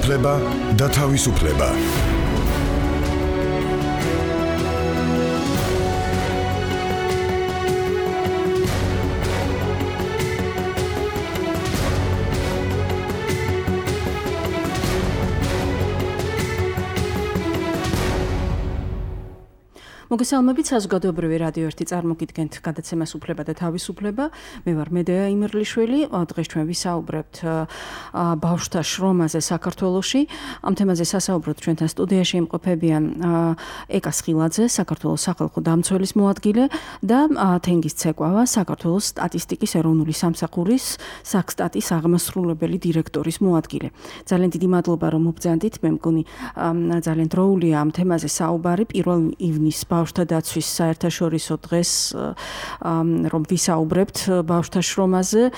უფლება და თავისუფლება. მოგესალმებით საზოგადოებრივი რადიო 1 წარმოგიდგენთ გადაცემას უფლება და თავისუფლება. მე ვარ მედეა იმერლიშვილი. დღეს ჩვენ ვისაუბრებთ ბავშვთა შრომაზე საქართველოში. ამ თემაზე სასაუბროთ ჩვენთან სტუდიაში იმყოფებიან ეკა სხილაძე, საქართველოს სახალხო დამცველის მოადგილე და თენგიზ ცეკვავა, საქართველოს სტატისტიკის ეროვნული სამსახურის საქსტატის აღმასრულებელი დირექტორის მოადგილე. ძალიან დიდი მადლობა რომ მობრძანდით. მე მგონი ძალიან დროულია ამ თემაზე საუბარი. 1 ივნისს ბავშვთა დაცვის საერთაშორისო დღეს რომ ვისაუბრებთ ბავშვთა შრომაზე,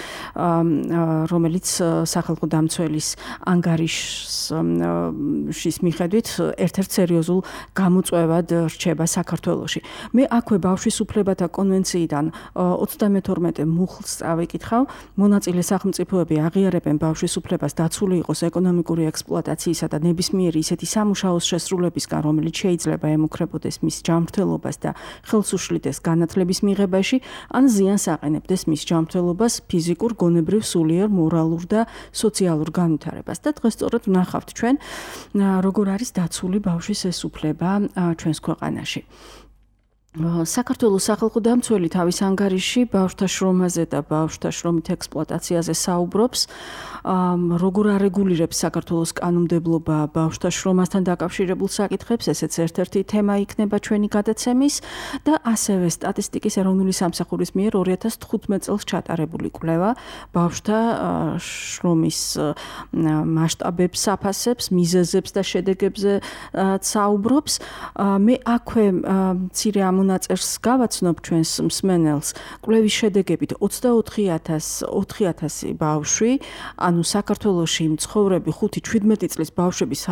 რომელიც სახალხო დამცველის ანგარიშის მიხედვით ერთ-ერთ სერიოზულ გამოწვევად რჩება საქართველოში. მე აქვე ბავშვის უფლებათა კონვენციიდან 32 მუხლს წავიკითხავ. მონაწილე სახელმწიფოები აღიარებენ ბავშვის უფლებას დაცული იყოს ეკონომიკური ექსპლუატაციისა და ნებისმიერი ისეთი სამუშაოს შესრულებისგან, რომელიც შეიძლება ემუქრებოდეს მის ჯანმრთელობას და ხელს უშლიდეს განათლების მიღებაში, ან ზიანს აყენებდეს მის ჯანმრთელობას, ფიზიკურ, გონებრივ, სულიერ, მორალურ და სოციალურ განვითარებას. და დღეს სწორედ ვნახავთ ჩვენ, როგორ არის დაცული ბავშვის ეს უფლება ჩვენს ქვეყანაში. საქართველოს სახალხო დამცველი თავის ანგარიში ბავშვთა შრომაზე და ბავშვთა შრომით ექსპლუატაციაზე საუბრობს. როგორ არეგულირებს საქართველოს კანონმდებლობა ბავშვთა შრომასთან დაკავშირებულ საკითხებს, ესეც ერთ-ერთი თემა იქნება ჩვენი გადაცემის და ასევე სტატისტიკის ეროვნული სამსახურის მიერ 2015 წელს ჩატარებული კვლევა ბავშვთა შრომის მასშტაბებს აფასებს, მიზეზებს და შედეგებზე საუბრობს. მე აქვე მცირე მონაწერს გავაცნობ ჩვენს მსმენელს. კვლევის შედეგებით 24,000 ბავშვი, ანუ საქართველოში მცხოვრები 5-17 წლის ბავშვების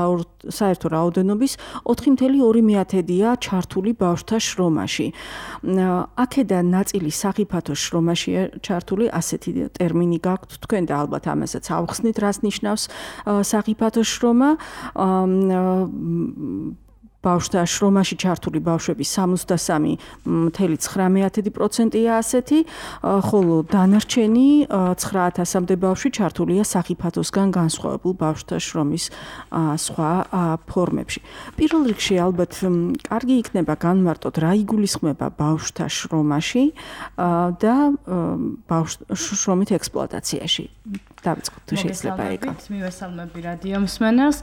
საერთო რაოდენობის 4,2%-ია ჩართული ბავშვთა შრომაში. აქედან ნაწილი სახიფათო შრომაშია ჩართული, ასეთი ტერმინი გაქვთ თქვენ და ალბათ ამასაც ავხსნით, რას ნიშნავს სახიფათო შრომა. ბავშვთა შრომაში ჩართული ბავშვების 63,9%-ია ასეთი, ხოლო დანარჩენი 9,000-მდე ბავშვი ჩართულია სახიფათოსგან განსხვავებულ ბავშვთა შრომის სხვა ფორმებში. პირველ რიგში ალბათ კარგი იქნება განვარტოთ, რა იგულისხმება ბავშვთა შრომაში და შრომით ექსპლუატაციაში. დავიწყოთ თუ შეიძლება ეკა. მივესალმები რადიო მსმენელს.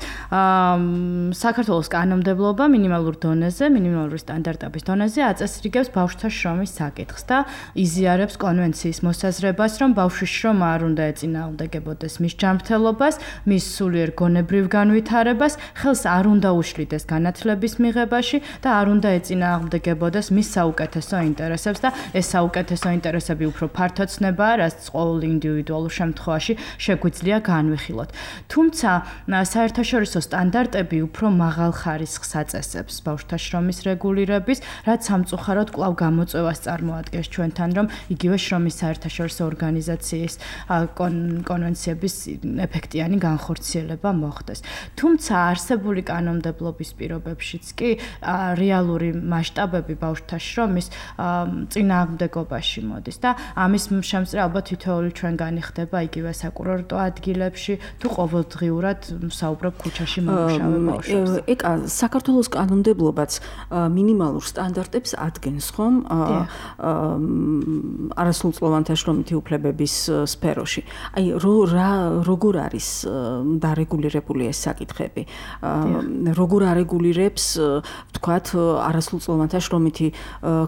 საქართველოს კანონმდებლობა მინიმალურ დონეზე, მინიმალური სტანდარტების დონეზე აწესრიგებს ბავშვთა შრომის საკითხს და იზიარებს კონვენციის მოსაზრებას, რომ ბავშვის შრომა არ უნდა ეწინააღმდეგებოდეს მის ჯანმრთელობას, მის სულიერ გონებრივ განვითარებას, ხელს არ უნდა უშლიდეს განათლების მიღებაში და არ უნდა ეწინააღმდეგებოდეს მის საუკეთესო ინტერესებს და ეს საუკეთესო ინტერესები უფრო ფართოცნებაა, რაც ყოველ ინდივიდუალურ შემთხვევაში შეგვიძლია განვიხილოთ. თუმცა საერთაშორისო სტანდარტები უფრო მაღალ ხარისხს აწესებს ბავშვთა შრომის რეგულირების, რაც სამწუხაროდ კვლავ გამოწვევას წარმოადგენს ჩვენთან, რომ იგივე შრომის საერთაშორისო ორგანიზაციის კონვენციების ეფექტიანი განხორციელება მოხდეს. თუმცა არსებული კანონმდებლობის პირობებშიც კი რეალური მასშტაბები ბავშვთა შრომის წინააღმდეგობაში მოდის და ამის შემწრე ალბათ თითოეული ჩვენგანი ხდება იგივე საკურორტო ადგილებში თუ ყოველდღიურად საუბრობ ქუჩაში მომუშავე ბავშვებს. ეკა საქართველოს კანონმდებლობაც მინიმალურ სტანდარტებს ადგენს, ხომ? არასრულწლოვანთა შრომითი უფლებების სფეროში. აი როგორ არის დარეგულირებული ეს საკითხები? როგორ არეგულირებს, ვთქვათ, არასრულწლოვანთა შრომითი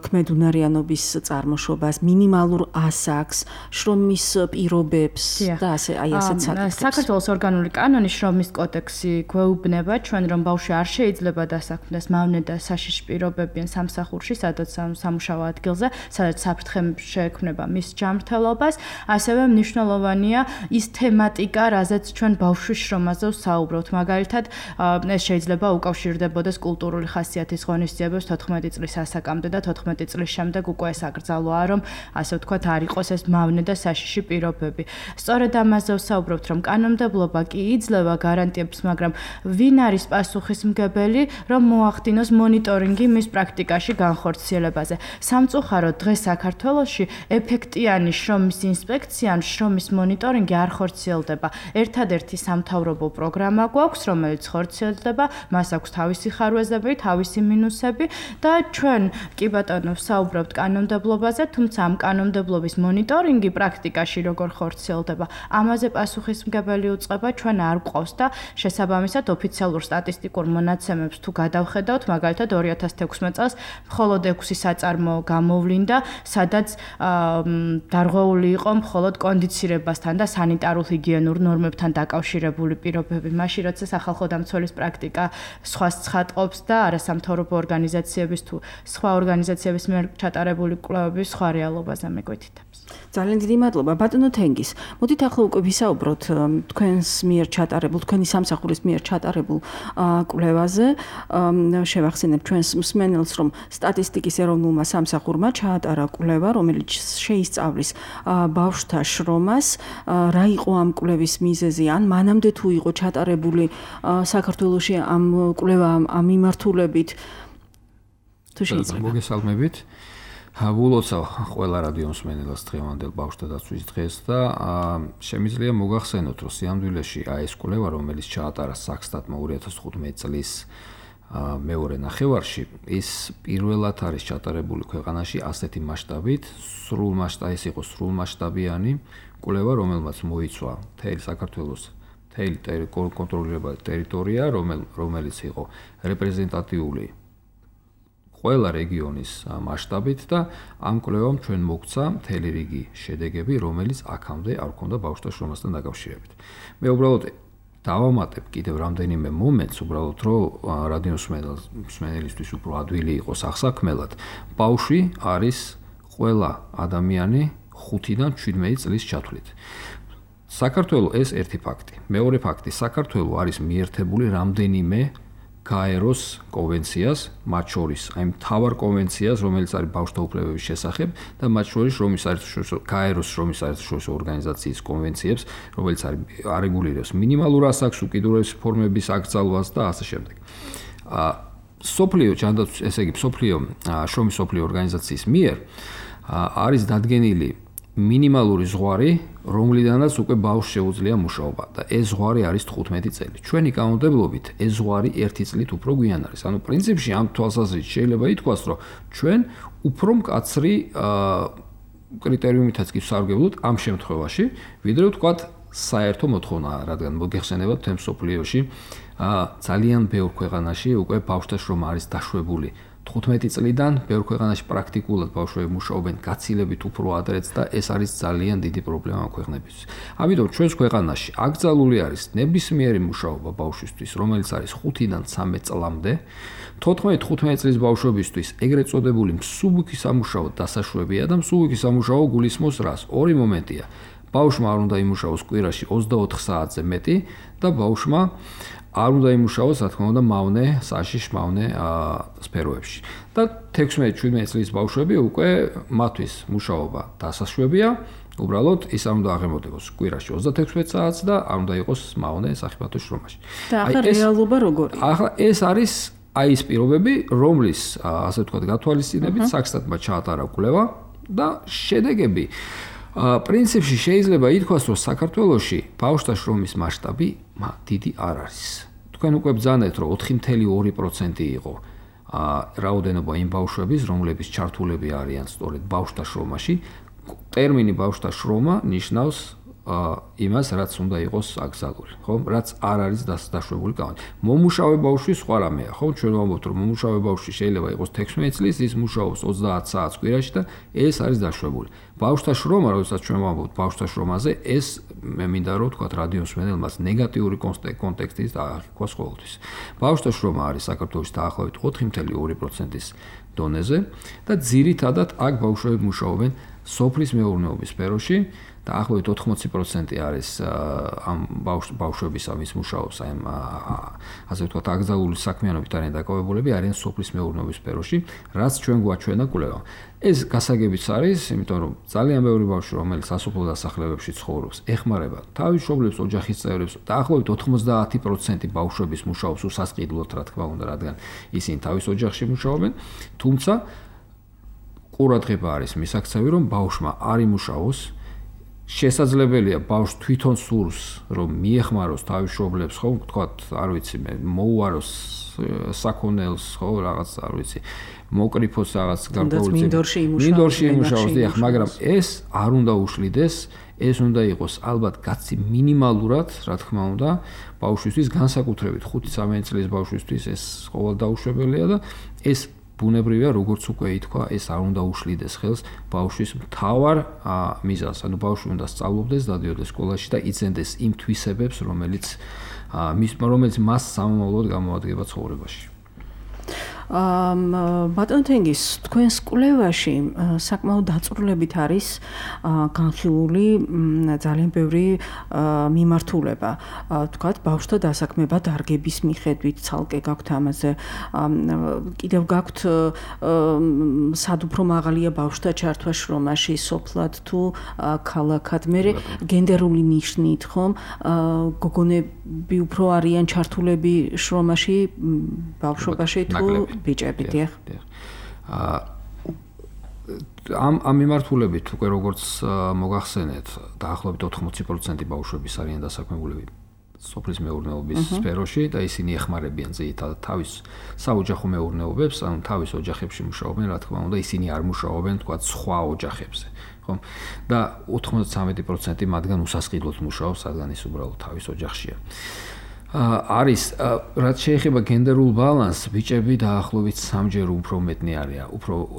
ქმედუნარიანობის წარმოშობას, მინიმალურ ასაკს, შრომის პირობებს და ასე ასეთ საკითხებს. საქართველოს ორგანული კანონი შრომის კოდექსი გვეუბნება ჩვენ, რომ ბავშვი არ შეიძლება დასაქმდეს მავნე და საშიში პირობებიან სამსახურში, სადაც სამუშაო ადგილზე, სადაც საფრთხე შეექმნება მის ჯანმრთელობას. ასევე მნიშვნელოვანია ის თემატიკა, რაზეც ჩვენ ბავშვის შრომაზე ვსაუბრობთ. მაგალითად, ეს შეიძლება უკავშირდებოდეს კულტურული ხასიათის ღონისძიებებს 14 წლის ასაკამდე და 14 წლის შემდეგ უკვე ეს აკრძალვაა, რომ ასე ვთქვათ, არ იყოს ეს მავნე და საშიში პირობები. სწორედ ამ ამაზე ვსაუბრობთ, რომ კანონმდებლობა კი იძლევა გარანტიებს, მაგრამ ვინ არის პასუხისმგებელი, რომ მოახდინოს მონიტორინგი მის პრაქტიკაში განხორციელებაზე. სამწუხაროდ დღეს საქართველოში ეფექტიანი შრომის ინსპექცია ან შრომის მონიტორინგი არ ხორციელდება. ერთადერთი სამთავრობო პროგრამა გვაქვს, რომელიც ხორციელდება, მას აქვს თავისი ხარვეზები, თავისი მინუსები და ჩვენ კი ბატონო ვსაუბრობთ კანონმდებლობაზე, თუმცა ამ კანონმდებლობის მონიტორინგი პრაქტიკაში როგორ ხორციელდება, ამაზე პასუხისმგებელი უწყება ჩვენ არ გვყავს და შესაბამისად ოფიციალურ სტატისტიკურ მონაცემებს თუ გადავხედავთ, მაგალითად 2016 წელს მხოლოდ 6 საწარმო გამოვლინდა, სადაც დარღვეული იყო მხოლოდ კონდიცირებასთან და სანიტარულ-ჰიგიენურ ნორმებთან დაკავშირებული პირობები. მაშინ როცა სახალხო დამცველის პრაქტიკა სხვას ცხადყოფს და არასამთავრობო ორგანიზაციების თუ სხვა ორგანიზაციების მიერ ჩატარებული კვლევების სხვა რეალობაზე მეგვითითებს. ძალიან დიდი მადლობა ბატონო თენგის. მოდით ახლა უკვე ვისაუბროთ თქვენს მიერ ჩატარებულ, თქვენი სამსახურის მიერ ჩატარებულ კვლევაზე. შევახსენებ ჩვენს მსმენელს, რომ სტატისტიკის ეროვნულმა სამსახურმა ჩაატარა კვლევა, რომელიც შეისწავლის ბავშვთა შრომას. რა იყო ამ კვლევის მიზეზი? ან მანამდე თუ იყო ჩატარებული საქართველოში ამ კვლევა ამ მიმართულებით? თუ შეიძლება. მოგესალმებით. ვილოცავ ყველა რადიო მსმენელს დღევანდელ ბავშვთა დაცვის დღეს და შემიძლია მოგახსენოთ, რომ სიამდვილეში ეს კვლევა, რომელიც ჩაატარა საქსტატმა 2015 წლის მეორე ნახევარში, ის პირველად არის ჩატარებული ქვეყანაში ასეთი მასშტაბით, ეს იყო სრულმასშტაბიანი კვლევა, რომელმაც მოიცვა მთელი საქართველოს მთელი კონტროლირებადი ტერიტორია, რომელიც იყო რეპრეზენტატიული ყველა რეგიონის მასშტაბით და ამ კვლევამ ჩვენ მოგცა მთელი რიგი შედეგები, რომელიც აქამდე არ ჰქონდა ბავშვთა შრომასთან დაკავშირებით. მე უბრალოდ დავამატებ კიდევ რამდენიმე მომენტს, უბრალოდ რომ რადიო მსმენელისთვის უფრო ადვილი იყოს აღსაქმელად. ბავშვი არის ყველა ადამიანი 5-დან 17 წლის ჩათვლით. საქართველოს ეს ერთი ფაქტი. მეორე ფაქტი, საქართველოს არის მიერთებული რამდენიმე გაეროს კონვენციას, მათ შორის აი მთავარ კონვენციას, რომელიც არის ბავშვთა უფლებების შესახებ და მათ შორის გაეროს შრომის საერთაშორისო ორგანიზაციის კონვენციებს, რომელიც არეგულირებს მინიმალურ ასაკს, უკიდურეს ფორმების აკრძალვას და ასე შემდეგ. სოფლიო ჯანდაცვის, ესე იგი სოფლიო შრომის სოფლიო ორგანიზაციის მიერ არის დადგენილი მინიმალური ზღვარი, რომლიდანაც უკვე ბავშვს შეუძლია მუშაობა და ეს ზღვარი არის 15 წელი. ჩვენი კანონმდებლობით ეს ზღვარი 1 წლით უფრო გვიან არის. ანუ პრინციპში ამ თვალსაზრისით შეიძლება ითქვას, რომ ჩვენ უფრო მკაცრი კრიტერიუმითაც კი ვსარგებლობთ ამ შემთხვევაში, ვიდრე ვთქვათ საერთო მოთხოვნაა, რადგან მოგეხსენებათ თემ სოფლიოში ძალიან ბევრ ქვეყანაში უკვე ბავშვთა შრომა არის დაშვებული 15 წლიდან, ბევრ ქვეყანაში პრაქტიკულად ბავშვები მუშაობენ გაცილებით უფრო ადრეც და ეს არის ძალიან დიდი პრობლემა ქვეყნებისთვის. ამიტომ ჩვენს ქვეყანაში აკრძალული არის ნებისმიერი მუშაობა ბავშვისთვის, რომელიც არის 5-დან 13 წლამდე, 14-15 წლის ბავშვებისთვის ეგრეთ წოდებული მსუბუქი სამუშაო დასაშვებია და მსუბუქი სამუშაო გულისხმობს რას? ორი მომენტია. ბავშვმა არ უნდა იმუშაოს კვირაში 24 საათზე მეტი და ბავშვმა არ უნდა იმუშაოს, რა თქმა უნდა, მავნე, საშიშ მავნე სფეროებში. და 16-17 წლის ბავშვები უკვე მათთვის მუშაობა დასაშვებია, უბრალოდ ის არ უნდა აღემატებოს კვირაში 36 საათს და არ უნდა იყოს მავნე საფათო შრომაში. და ახლა რეალობა როგორია? ახლა ეს არის აი ეს პირობები, რომლის ასე ვთქვათ, გათვალისწინებით საქსტატმა ჩაატარა კვლევა და შედეგები პრინციპში შეიძლება ითქვას, რომ საქართველოში ბავშვთა შრომის მასშტაბი დიდი არ არის. თქვენ უკვე ბრძანეთ, რომ 4.2% იყო რაოდენობა იმ ბავშვების, რომლების ჩართულები არიან სწორედ ბავშვთა შრომაში. ტერმინი ბავშვთა შრომა ნიშნავს იმას, რაც უნდა იყოს აკრძალული, ხო? რაც არ არის დაშვებული კანონით. მომუშავე ბავშვი სხვა რამეა, ხო? ჩვენ ვამბობთ, რომ მომუშავე ბავშვი შეიძლება იყოს 16 წლის, ის მუშაობს 30 საათს კვირაში და ეს არის დაშვებული. ბავშვთა შრომა, როდესაც ჩვენ ვამბობთ ბავშვთა შრომაზე, ეს მე მინდა რომ ვთქვათ რადიო მსმენელს ნეგატიური კონტექსტის დაახიქვას ყოველთვის. ბავშვთა შრომა არის საქართველოს დაახლოებით 4.2%-ის დონეზე და ძირითადად აქ ბავშვები მუშაობენ სოფლის მეურნეობის სფეროში და ახლობით 80% არის ამ ბავშვების ამის მუშაობს აი ასე ვთქვათ აკრძალული საქმიანობით არიან დაკავებულები არიან სოფლის მეურნეობის სფეროში, რაც ჩვენ გვაჩვენა კვლევა. ეს გასაგებიც არის, იმიტომ რომ ძალიან ბევრი ბავშვი, რომელიც სასოფლო დასახლებებში ცხოვრობს, ეხმარება თავის მშობლებს, ოჯახის წევრებს და ახლობით 90% ბავშვების მუშაობს უსასყიდლოდ, რა თქმა უნდა, რადგან ისინი თავის ოჯახში მუშაობენ, თუმცა ყურადღება არის მისაქცევი, რომ ბავშვმა არ იმუშაოს. შესაძლებელია ბავშვს თვითონ სურს რომ მიეხმაროს თავის მშობლებს, ხო, ვთქვათ, არ ვიცი, მოუაროს საქონელს, ხო, რაღაც, არ ვიცი, მოკრიფოს რაღაც გარკვეული მინდორში იმუშაოს, დიახ, მაგრამ ეს არ უნდა უშლიდეს, ეს უნდა იყოს ალბათ კაცი მინიმალურად, რა თქმა უნდა, ბავშვისთვის განსაკუთრებით 5-13 წლის ბავშვისთვის ეს ყოველ დაუშვებელია და ეს ბუნებრივია, როგორც უკვე ითქვა, ეს არ უნდა უშლიდეს ხელს ბავშვის მთავარ მიზანს. ანუ ბავშვი უნდა სწავლობდეს, დადიოდეს სკოლაში და იცენდეს იმ თვისებებს, რომელიც მას სამომავლოდ გამოადგება ცხოვრებაში. ბატონ თენგის, თქვენს კვლევაში საკმაოდ დაწვრილებით არის განხილული ძალიან ბევრი მიმართულება. თქვათ, ბავშვთა დასაქმება დარგების მიხედვით, ცალკე გაქვთ ამაზე. კიდევ გაქვთ სად უფრო მაღალია ბავშვთა ჩართვა შრომაში, სოფლად თუ ქალაქად. მე გენდერული ნიშნით, ხომ, გოგონები უფრო არიან ჩართულები შრომაში, ბავშვობაში თუ ბიჭები, დიახ. ამ მიმართულებით უკვე როგორც მოგახსენეთ, დაახლოებით 80% ბავშვების არიან დასაქმებულები სოფლის მეურნეობის სფეროში და ისინი ეხმარებიან ძირითადად თავის საოჯახო მეურნეობებს, ანუ თავის ოჯახებში მუშაობენ, რა თქმა უნდა, ისინი არ მუშაობენ, თქვათ, სხვა ოჯახებზე, ხო? და 93% მათგან უსასყიდლოდ მუშაობს, რადგან ის უბრალოდ თავის ოჯახშია. არის რაც შეეხება გენდერულ ბალანსს, ბიჭები დაახლოებით 3-ჯერ უფრო მეტნი არიან,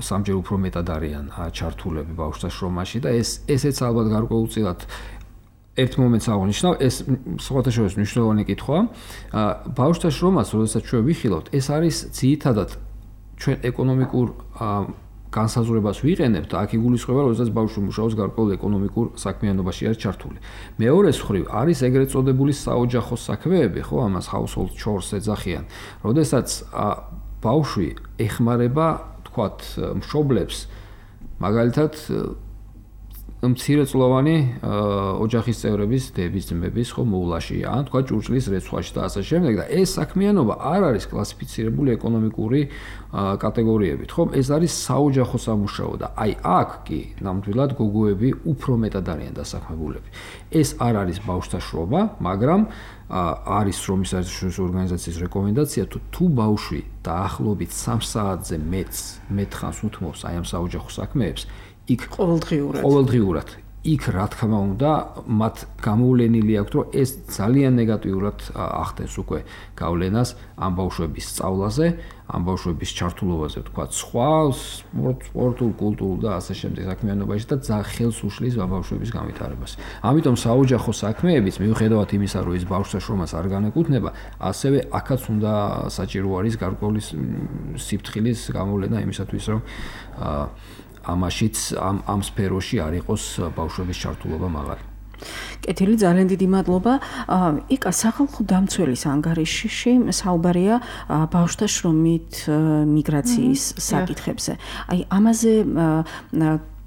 სამჯერ უფრო მეტად არიან ჩართულები ბავშვთა შრომაში და ესეც ალბათ გარკვეულწილად ერთ მომენტს აღნიშნავ, ეს სხვათაშორის მნიშვნელოვანი კითხვაა. ბავშვთა შრომას, როდესაც ჩვენ ვიხილავთ, ეს არის ძირითადად ჩვენ ეკონომიკურ განსაზღვრებას ვიყენებთ, აქ იგულისხმება, როდესაც ბავშვი მუშაობს გარკვეულ ეკონომიკურ საქმიანობაში არის ჩართული. მეორეს მხრივ არის ეგრეთ წოდებული საოჯახო საქმეები, ხო, ამას household chores ეძახიან. როდესაც ბავშვი ეხმარება, თქვათ, მშობლებს, მაგალითად მცირეწლოვანი ოჯახის წევრების, დების, ძმების, ხო, მოვლაში, ან თქვა ჭურჭლის რეცხვაში და ასე შემდეგ და ეს საქმიანობა არ არის კლასიფიცირებული ეკონომიკური კატეგორიებით, ხო? ეს არის საოჯახო სამუშაო და აი აქ კი ნამდვილად გოგოები უფრო მეტად არიან დასაქმებულები. ეს არ არის ბავშვთა შრომა, მაგრამ არის შრომის საერთაშორისო ორგანიზაციის რეკომენდაცია, თუ ბავშვი დაახლოებით 3 საათზე მეტ ხანს უთმობს აი ამ საოჯახო საქმეებს, იქ ყოველდღიურად იქ რა თქმა უნდა მათ გამოვლენილი აქვს რომ ეს ძალიან ნეგატიურად ახდენს უკვე გავლენას ამ ბავშვების სწავლაზე, ამ ბავშვების ჩართულობაზე, თქვა სხვა სპორტულ, კულტურულ და ასე შემდეგ საქმიანობაში და ხელს უშლის ამ ბავშვების განვითარებას. ამიტომ საოჯახო საქმეებიც მიუხედავად იმისა, რომ ეს ბავშვთა შრომას არ განეკუთვნება, ასევე აქაც უნდა საჭირო არის გარკვეული სიფრთხილის გამოვლენა იმისათვის, რომ ამაშიც ამ სფეროში არ იყოს ბავშვების ჩართულობა მაღალი. კეთილი, ძალიან დიდი მადლობა. იკა სახალხო დამცველის ანგარიშში საუბარია ბავშვთა შრომით მიგრაციის საკითხებზე. აი ამაზე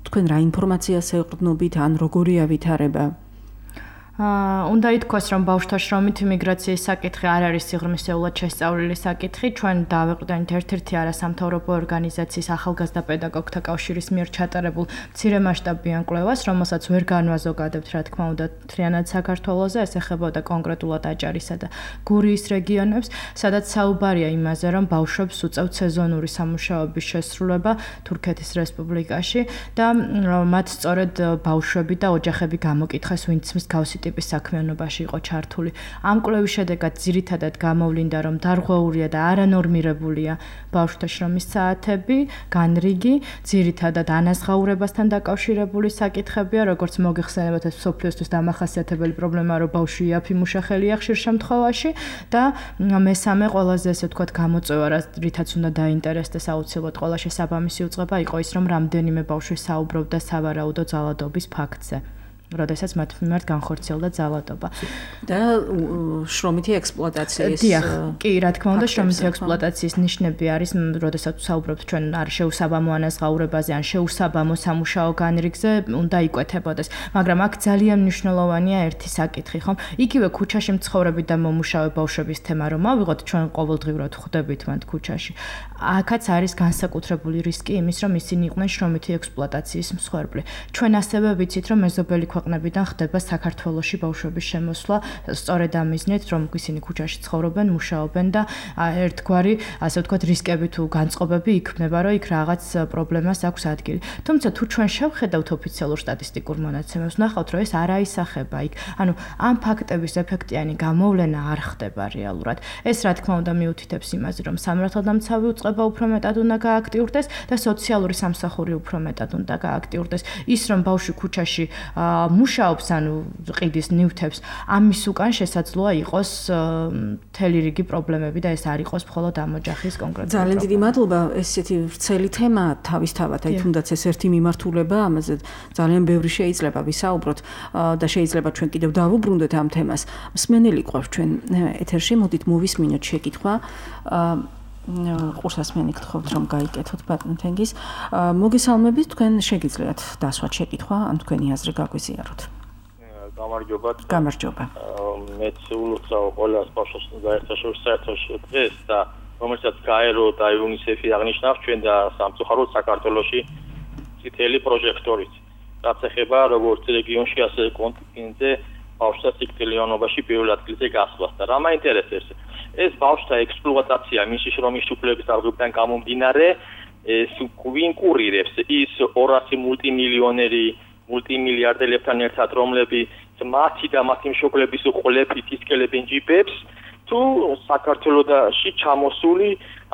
თქვენ რა ინფორმაციას ეყრდნობით, ან როგორია ვითარება? უნდა ითქვას, რომ ბავშვთა შრომით მიგრაციის საკითხი არ არის სიღრმისეულად შესწავლილი საკითხი. ჩვენ დავეყრდნით ერთ-ერთი არასამთავრობო ორგანიზაციის ახალგაზრდა პედაგოგთა კავშირის მიერ ჩატარებულ მცირემასშტაბიან კვლევას, რომელსაც ვერ განვაზოგადებთ, რა თქმა უნდა, მთლიანად საქართველოზე, ეს ეხებოდა კონკრეტულად აჭარისა და გურიის რეგიონებს, სადაც საუბარია იმაზე, რომ ბავშვებს უწევთ სეზონური სამუშაოების შესრულება თურქეთის რესპუბლიკაში და მათ სწორედ ბავშვები და ოჯახები გამოკითხეს, ვინც მსგავსი ტიპის საქმიანობაში იყო ჩართული. ამ კვლევის შედეგად ძირითადად გამოვლინდა, რომ დარღვეულია და არანორმირებულია ბავშვთა შრომის საათები, განრიგი, ძირითადად ანაზღაურებასთან დაკავშირებული საკითხებია, როგორც მოგეხსენებათ, ეს მსოფლიოსთვის დამახასიათებელი პრობლემაა, რომ ბავშვი იაფი მუშახელია ხშირ შემთხვევაში და მესამე ყველაზე ესე ვთქვათ გამოწვევა, რითაც უნდა დაინტერესდეს აუცილებლად ყველა შესაბამისი უწყება იყო ის, რომ რამდენიმე ბავშვი საუბრობდა სავარაუდო ძალადობის ფაქტზე. როდესაც მათ მიმართ განხორციელდა ძალადობა. და შრომითი ექსპლუატაციის კი, რა თქმა უნდა, შრომითი ექსპლუატაციის ნიშნები არის, როდესაც საუბრობთ ჩვენ არ შეუსაბამო ანაზღაურებაზე ან შეუსაბამო სამუშაო განრიგზე, უნდა იკვეთებოდეს. მაგრამ აქ ძალიან მნიშვნელოვანია ერთი საკითხი, ხომ? იგივე ქუჩაში მცხოვრები და მომუშავე ბავშვების თემა რომ ავიღოთ, ჩვენ ყოველდღიურად ხვდებით მათ ქუჩაში. აქაც არის განსაკუთრებული რისკი იმის, რომ ისინი იყვნენ შრომითი ექსპლუატაციის მსხვერპლი. ჩვენ ასევე ვიცით, რომ მეზობელი ქვეყნებიდან ხდება საქართველოში ბავშვების შემოსვლა სწორედ ამ მიზნით, რომ ისინი ქუჩაში ცხოვრობენ, მუშაობენ და ერთგვარი, ასე ვთქვათ, რისკები თუ განწყობები იქმნება, რომ იქ რაღაც პრობლემას აქვს ადგილი. თუმცა თუ ჩვენ შევხედავთ ოფიციალურ სტატისტიკურ მონაცემებს, ნახავთ, რომ ეს არ აისახება იქ. ანუ ამ ფაქტების ეფექტიანი გამოვლენა არ ხდება რეალურად. ეს რა თქმა უნდა მიუთითებს იმაზე, რომ სამართალდამცავი უწყება უფრო მეტად უნდა გააქტიურდეს და სოციალური სამსახური უფრო მეტად უნდა გააქტიურდეს. ის რომ ბავშვი ქუჩაში მუშაობს, ანუ ყიდის ნივთებს, ამის უკან შესაძლოა იყოს მთელი რიგი პრობლემები და ეს არ იყოს მხოლოდ ამ ოჯახის კონკრეტული. ძალიან დიდი მადლობა, ესეთი ვრცელი თემაა თავისთავად, აი თუნდაც ეს ერთი მიმართულება, ამაზე ძალიან ბევრი შეიძლება ვისაუბროთ და შეიძლება ჩვენ კიდევ დავუბრუნდეთ ამ თემას. მსმენელი ყავს ჩვენ ეთერში, მოდით მოვისმინოთ შეკითხვა. ყურსასმენი გთხოვთ რომ გაიკეთოთ ბატონ თენგის. მოგესალმებით, თქვენ შეგიძლიათ დასვათ შეკითხვა, ან თქვენი აზრი გაგვიზიაროთ. გამარჯობა. მეც ულოცავ ყველას ბავშვებს საერთაშორისო დღეს და რომელსაც გაერო და იუნისეფი აღნიშნავს ჩვენ და სამწუხაროდ საქართველოში წითელი პროჟექტორით. რაც ეხება როგორც რეგიონში, ასე კონტინენტზე ბავშვთა სიკვდილიანობაში პირველ ადგილზე გასვლას და რა მაინტერესებს ეს ბავშვთა ექსპლუატაცია მისი შრომის უფლებების დარღვევიდან გამომდინარე ეს კურირებს ის 200 მულტიმილიარდელებთან ერთად რომლებიც მათი და მათი მშობლების ყოლებით ისკელებენ ჯიპებს თუ საქართველოში ჩამოსული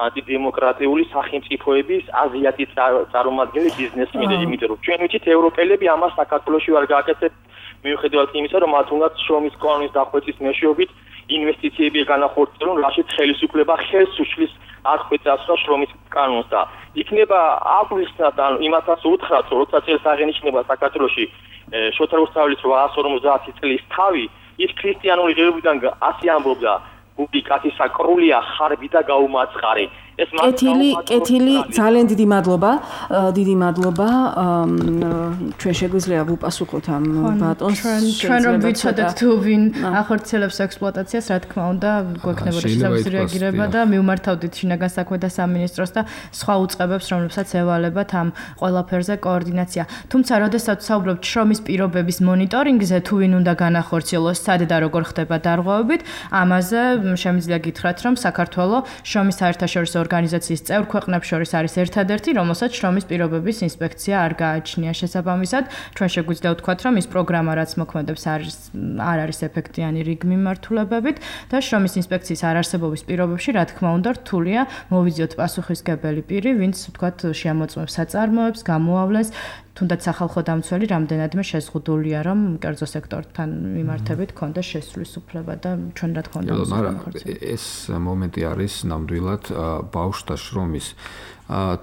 ანტიდემოკრატიული სახელმწიფოების აზიათი წარმომადგენელი ბიზნესმენები, იმიტომ რომ ჩვენ ვიცით ევროპელები ამას საქართველოში ვერ გააკეთებთ მიუხედავად იმისა, რომ მათ უნდათ შრომის კანონის დახვეწის მეშვეობით ინვესტიციები განახორციელონ, რაშიც ხელისუფლება ხელს უშლის აღკვეცას შრომის კანონს და იქნება აგვისტად ან იმათაც უთხრათ, როცა წელს აღენიშნება საქართველოში შოთა რუსთაველის 850 წლის თავი, ის ქრისტიანული ღირებულიდან ასე ამბობდა, გუგი კაცისა კრულია ხარბი და გაუმაწყარი. კეთილი, ძალიან დიდი მადლობა. ჩვენ შეგვიძლია ვუპასუხოთ ამ ბატონს. ჩვენ რომ ვიცოდეთ თუ ვინ ახორციელებს ექსპლუატაციას, რა თქმა უნდა, გვექნებოდა შესაბამისი რეაგირება და მივმართავდით შინაგან საქმეთა სამინისტროს და სხვა უწყებებს, რომლებსაც ევალებათ ამ ყველაფერზე კოორდინაცია. თუმცა, როდესაც საუბრობთ შრომის პირობების მონიტორინგზე, თუ ვინ უნდა განახორციელოს, სად და როგორ ხდება დარღვევებით, ამაზე შემიძლია გითხრათ, რომ საქართველოს შრომის საერთაშორისო ორგანიზაციის წევრ ქვეყნებს შორის არის ერთადერთი, რომელსაც შრომის პირობების ინსპექცია არ გააჩნია შესაბამისად. ჩვენ შეგვიძლია ვთქვათ, რომ ის პროგრამა, რაც მოქმედებს, არ არის ეფექტიანი რიგ მიმართულებებით და შრომის ინსპექციის არარსებობის პირობებში, რა თქმა უნდა, რთულია მოვიძიოთ პასუხისმგებელი პირი, ვინც ვთქვათ, შეამოწმებს საწარმოებს, გამოავლენს, თუნდაც სახალხო დამცველი რამდენადმე შეზღუდულია, რომ კერძო სექტორთან მიმართებით ქონდეს შესვლის უფლება და ჩვენ რა თქმა უნდა ეს მომენტი არის ნამდვილად ბავშვთა შრომის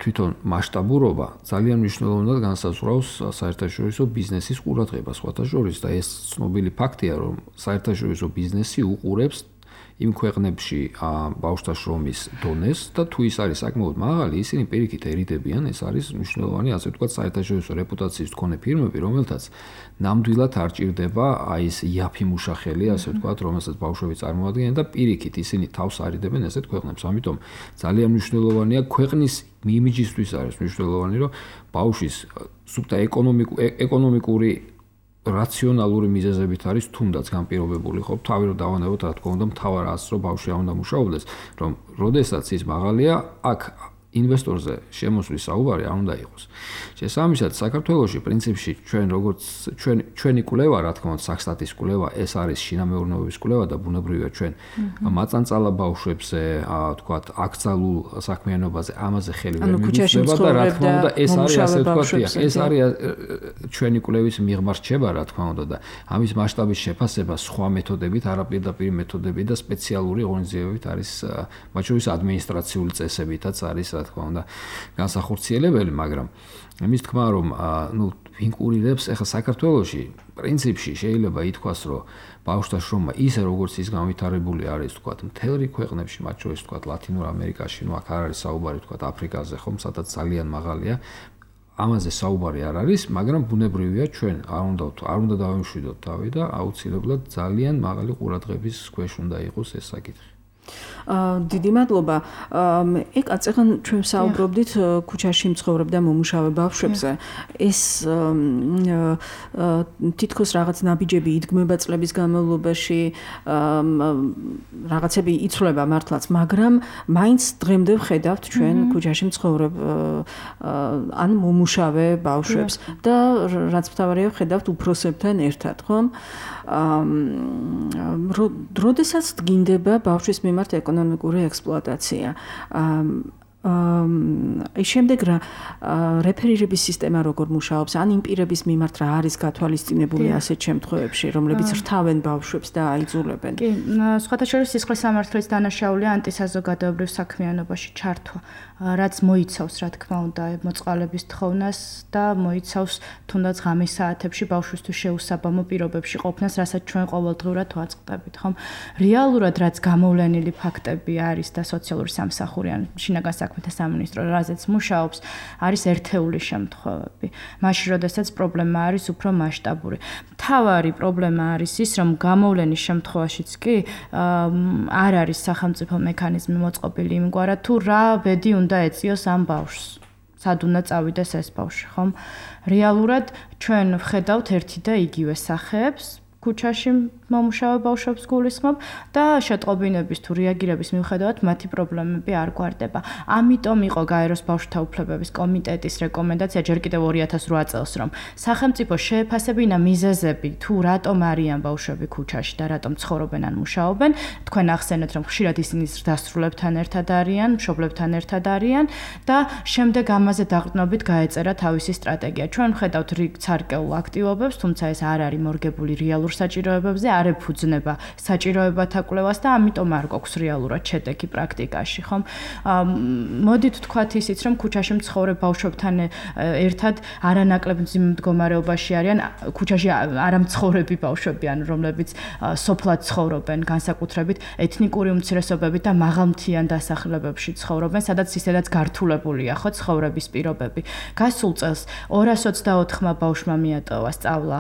თვითონ მასშტაბურობა ძალიან მნიშვნელოვნად განსაზღვრავს საერთაშორისო ბიზნესის ყურადღებას სხვათა შორის და ეს ცნობილი ფაქტია, რომ საერთაშორისო ბიზნესი უყურებს იმ ქვეყნებში ბავშვთა შრომის დონეს და თუ ის არის საკმაოდ მაღალი, ისინი პირიქით ერიდებიან, ეს არის მნიშვნელოვანი, ასე ვთქვათ, საერთაშორისო რეპუტაციის მქონე ფირმები, რომელთაც ნამდვილად არ ჭირდება აი ეს იაფი მუშახელი, ასე ვთქვათ, რომელსაც ბავშვები წარმოადგენენ და პირიქით ისინი თავს არიდებენ ესეთ ქვეყნებს. ამიტომ ძალიან მნიშვნელოვანია ქვეყნის იმიჯისთვის არის მნიშვნელოვანი, რომ ბავშვის სუფთა ეკონომიკური რაციონალური მიზეზებით არის თუნდაც განპირობებული ხო თავი რომ დავანებოთ რა თქმა უნდა მთავარ აზრს რომ ბავშვი არ უნდა მუშაობდეს რომ როდესაც ის მაღალია აქ ინვესტორზე შემოსვლის საუბარი არ უნდა იყოს. შესაბამისად, საქართველოში პრინციპში ჩვენ როგორც ჩვენი კვლევა, რა თქმა უნდა, საქსტატის კვლევა, ეს არის შინამეურნეობის კვლევა და ბუნებრივია ჩვენ მაწანწალა ბავშვებზე, თქვათ, აკრძალულ საქმიანობაზე ამაზე ხელი ვერ მივუწევდა და რა თქმა უნდა, ეს არის ასე ვთქვათ, ეს არის ჩვენი კვლევის მიღმა რჩება, რა თქმა უნდა და ამის მასშტაბის შეფასება სხვა მეთოდებით, არაპირდაპირ მეთოდებით და სპეციალური ღონისძიებებით არის, მათ შორის ადმინისტრაციული წესებითაც არის რა თქმა უნდა განსახორციელებელი, მაგრამ იმის თქმა რომ ვინ კურირებს ახლა საქართველოში პრინციპში შეიძლება ითქვას რომ ბავშვთა შრომა ისე როგორც ის განვითარებული არის თქვათ მთელ რიგ ქვეყნებში, მათ შორის თქვათ ლათინურ ამერიკაში, აქ არ არის საუბარი თქვათ აფრიკაზე ხომ, სადაც ძალიან მაღალია, ამაზე საუბარი არ არის, მაგრამ ბუნებრივია ჩვენ არ უნდა დავიმშვიდოთ თავი და აუცილებლად ძალიან მაღალი ყურადღების ქვეშ უნდა იყოს ეს საკითხი. დიდი მადლობა. ეკაცეღან ჩვენ საუბრობდით ქუჩაში მცხოვრებ და მომუშავე ბავშვებზე. ეს თითქოს რაღაც ნაბიჯები იდგმება წლების განმავლობაში, რაღაცები იცვლება მართლაც, მაგრამ მაინც დღემდე ვხედავთ ჩვენ ქუჩაში მცხოვრებ ან მომუშავე ბავშვებს და რაც მთავარია ვხედავთ უფროსებთან ერთად, ხომ? როდესაც დგინდება ბავშვის მიმართ ეკონომიკური ექსპლუატაცია. შემდეგ რეფერირების სისტემა როგორ მუშაობს, ან იმ პირების მიმართ რა არის გათვალისწინებული ასეთ შემთხვევებში, რომლებიც რთავენ ბავშვებს და აიძულებენ. კი, სხვათა შორის სისხლის სამართლის დანაშაულია ანტისაზოგადოებრივ საქმიანობაში ჩართვა, რაც მოიცავს, რა თქმა უნდა, მოწყალების თხოვნას და მოიცავს თუნდაც ღამის საათებში ბავშვისთვის შეუსაბამო პირობებში ყოფნას, რასაც ჩვენ ყოველდღიურად ვაწყდებით, ხომ? რეალურად რაც გამოვლენილი ფაქტები არის და სოციალური სამსახური ან შინაგან საქმეთა სამინისტრო რაზეც მუშაობს, არის ერთეული შემთხვევები. მაშინ, როდესაც პრობლემა არის უფრო მასშტაბური. მთავარი პრობლემა არის ის, რომ გამოვლენის შემთხვევაშიც კი არ არის სახელმწიფო მექანიზმი მოწყობილი იმგვარად, თუ რა ბედი უნდა ეწიოს ამ ბავშვს. სად უნდა წავიდეს ეს ბავშვი, ხომ? რეალურად ჩვენ ვხედავთ ერთი და იგივე სახეებს ქუჩაში მომუშავე ბავშვებს გულისხმობ და შეტყობინების თუ რეაგირების მიუხედავად მათი პრობლემები არ გვარდება. ამიტომ იყო გაეროს ბავშვთა უფლებების კომიტეტის რეკომენდაცია ჯერ კიდევ 2008 წელს, რომ სახელმწიფო შეეფასებინა მიზეზები თუ რატომ არიან ბავშვები ქუჩაში და რატომ ცხოვრობენ ან მუშაობენ. თქვენ ახსენეთ, რომ ხშირად ისინი დასრულებთან ერთად არიან, მშობლებთან ერთად არიან და შემდეგ ამაზე დაყრდნობით გაეწერა თავისი სტრატეგია. ჩვენ ვხედავთ რიგ ცარკეულ აქტივობებს, თუმცა ეს არ არის მორგებული რეალურ საჭიროებებზე, არ ეფუძნება საჭიროებათა კვლევას და ამიტომ არ გვაქვს რეალურად შედეგი პრაქტიკაში, ხომ? მოდით ვთქვათ ისიც, რომ ქუჩაში მცხოვრებ ბავშვებთან ერთად არანაკლებ მდგომარეობაში არიან ქუჩაში არამცხოვრები ბავშვები, ან რომლებიც სოფლად ცხოვრობენ, განსაკუთრებით ეთნიკური უმცირესობებით და მაღალმთიან დასახლებებში ცხოვრობენ, სადაც ისედაც გართულებულია ხო ცხოვრების პირობები. გასულ წელს 224-მა ბავშვმა მიატოვა სწავლა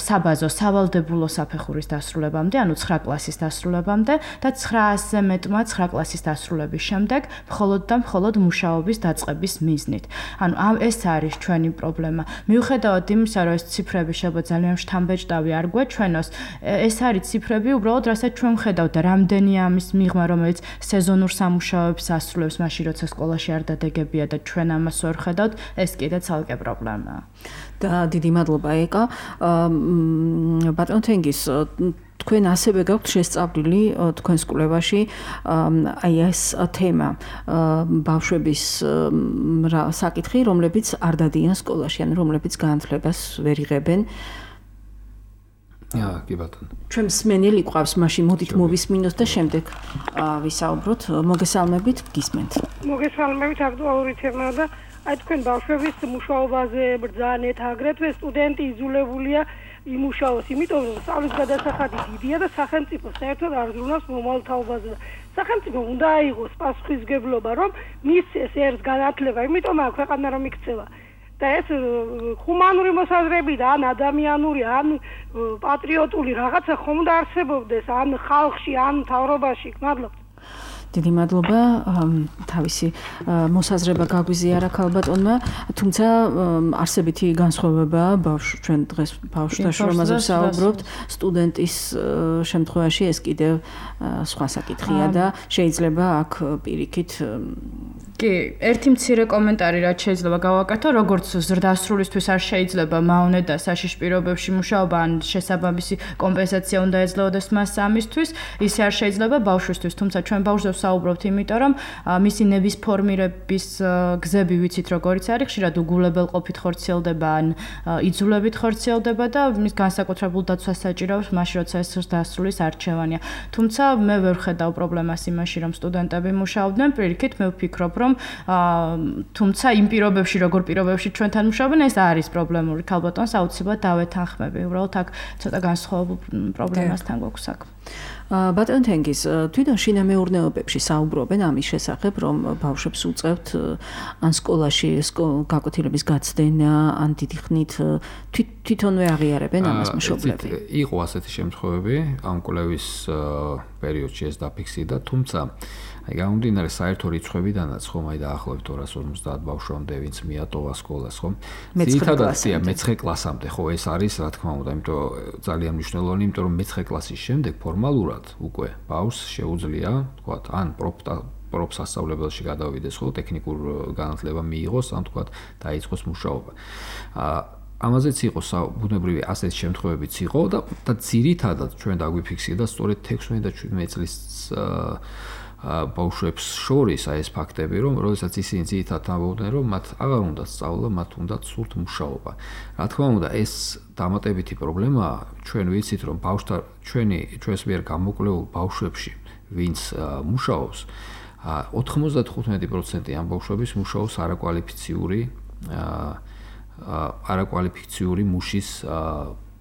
საბაზო სავალდებულო საფეხურის დასრულებამდე, ანუ 9 კლასის დასრულებამდე და 900-ზე მეტმა 9 კლასის დასრულების შემდეგ მხოლოდ და მხოლოდ მუშაობის დაწყების მიზნით. ანუ ეს არის ჩვენი პრობლემა. მიუხედავად იმისა, რომ ეს ციფრები შეიძლება ძალიან შთამბეჭდავი არ გვეჩვენოს, ეს არის ციფრები უბრალოდ, რასაც ჩვენ ვხედავთ და რამდენია ამის მიღმა, რომელიც სეზონურ სამუშაოებს ასრულებს, მაშინ როცა სკოლაში არ დადეგებია და ჩვენ ამას ვერ ხედავთ, ეს კიდე ცალკე პრობლემაა. და დიდი მადლობა ეკა. ბატონ თენგის, თქვენ ასევე გაქვთ შესწავლილი თქვენს კვლევაში აი ეს თემა ბავშვების საკითხი, რომლებიც არ დადიან სკოლაში, ან რომლებიც განათლებას ვერ იღებენ. კი ბატონო. ჩვენ მსმენელი ყავს, მაშინ მოდით მოვისმინოთ და შემდეგ ვისაუბროთ. მოგესალმებით, გისმენთ. მოგესალმებით, აქტუალური თემაა და აი თქვენ ბავშვების მუშაობაზე ბრძანეთ, აგრეთვე სტუდენტი იზოლებულია იმუშაოს, იმიტომ რომ სწავლის გადასახადი დიდია და სახელმწიფო საერთოდ არ ზრუნავს მომავალ თაობაზე. სახელმწიფო უნდა აიღოს პასუხისმგებლობა, რომ მისცეს ერთ განათლება, იმიტომ აქვს ქვეყანა რომ იქცევა. და ეს ჰუმანური მოსაზრებით, ან ადამიანური, ან პატრიოტული რაღაცა ხომ უნდა არსებობდეს, ან ხალხში, ან მთავრობაში. მადლობა. დიდი მადლობა, თავისი მოსაზრება გაგვიზიარა ქალბატონმა, თუმცა არსებითი განსხვავება ჩვენ დღეს ბავშვთა შრომაზე ვსაუბრობთ, სტუდენტის შემთხვევაში ეს კიდევ სხვა საკითხია და შეიძლება აქ პირიქით კი, ერთი მცირე კომენტარი რაც შეიძლება გავაკეთო, როგორც ზრდასრულისთვის არ შეიძლება მავნე და საშიში პირობებში მუშაობა ან შესაბამისი კომპენსაცია უნდა ეძლეოდეს მას ამისთვის, ისე არ შეიძლება ბავშვისთვის, თუმცა ჩვენ ბავშვზე ვსაუბრობთ, იმიტომ რომ მისი ნების ფორმირების გზები ვიცით როგორიც არის, ხშირად უგულებელყოფით ხორციელდება ან იძულებით ხორციელდება და მის განსაკუთრებულ დაცვას საჭიროებს მაშინ როცა ეს ზრდასრულის არჩევანია. თუმცა მე ვერ ხედავ პრობლემას იმაში, რომ სტუდენტები მუშაობდნენ, პირიქით მე ვფიქრობ, რომ თუმცა იმ პირობებში, როგორ პირობებში ჩვენთან მუშაობენ, ეს არის პრობლემური. ქალბატონს აუცილებლად დავეთანხმები. უბრალოდ აქ ცოტა განსხვავებულ პრობლემასთან გვაქვს აქ. ბატონ თენგიზ, თვითონ შინამეურნეობებში საუბრობენ ამის შესახებ, რომ ბავშვებს უწევთ ან სკოლაში გაკვეთილების გაცდენა, ან დიდი ხნით თვითონვე აღიარებენ ამას მშობლები. იყო ასეთი შემთხვევები, ამ კვლევის პერიოდში ეს დაფიქსირდა, თუმცა აი გამომდინარე საერთო რიცხვებიდანაც ხომ აი დაახლოებით 250 ბავშვამდე ვინც მიატოვა სკოლას ხომ ძირითადად მე-9 კლასამდე ხო ეს არის რა თქმა უნდა იმიტომ ძალიან მნიშვნელოვანი იმიტომ რომ მე-9 კლასის შემდეგ ფორმალურად უკვე ბავშვს შეუძლია თქვათ ან პროფსასწავლებელში გადავიდეს ხო ტექნიკურ განათლება მიიღოს ან თქვათ დაიწყოს მუშაობა ამაზეც იყო ბუნებრივი ასეთი შემთხვევებიც იყო და ძირითადად ჩვენ დაგვიფიქსირდა სწორედ 16 და 17 წლის ბავშვებს შორის აი ეს ფაქტები, რომ როდესაც ისინი ძირითადად ამბობდნენ, რომ მათ აღარ უნდა სწავლა, მათ უნდა სურთ მუშაობა. რა თქმა უნდა, ეს დამატებითი პრობლემაა. ჩვენ ვიცით, რომ ბავშვთა ჩვენს მიერ გამოკვლეულ ბავშვებში, ვინც მუშაობს, 95% ამ ბავშვების მუშაობს არაკვალიფიციური მუშის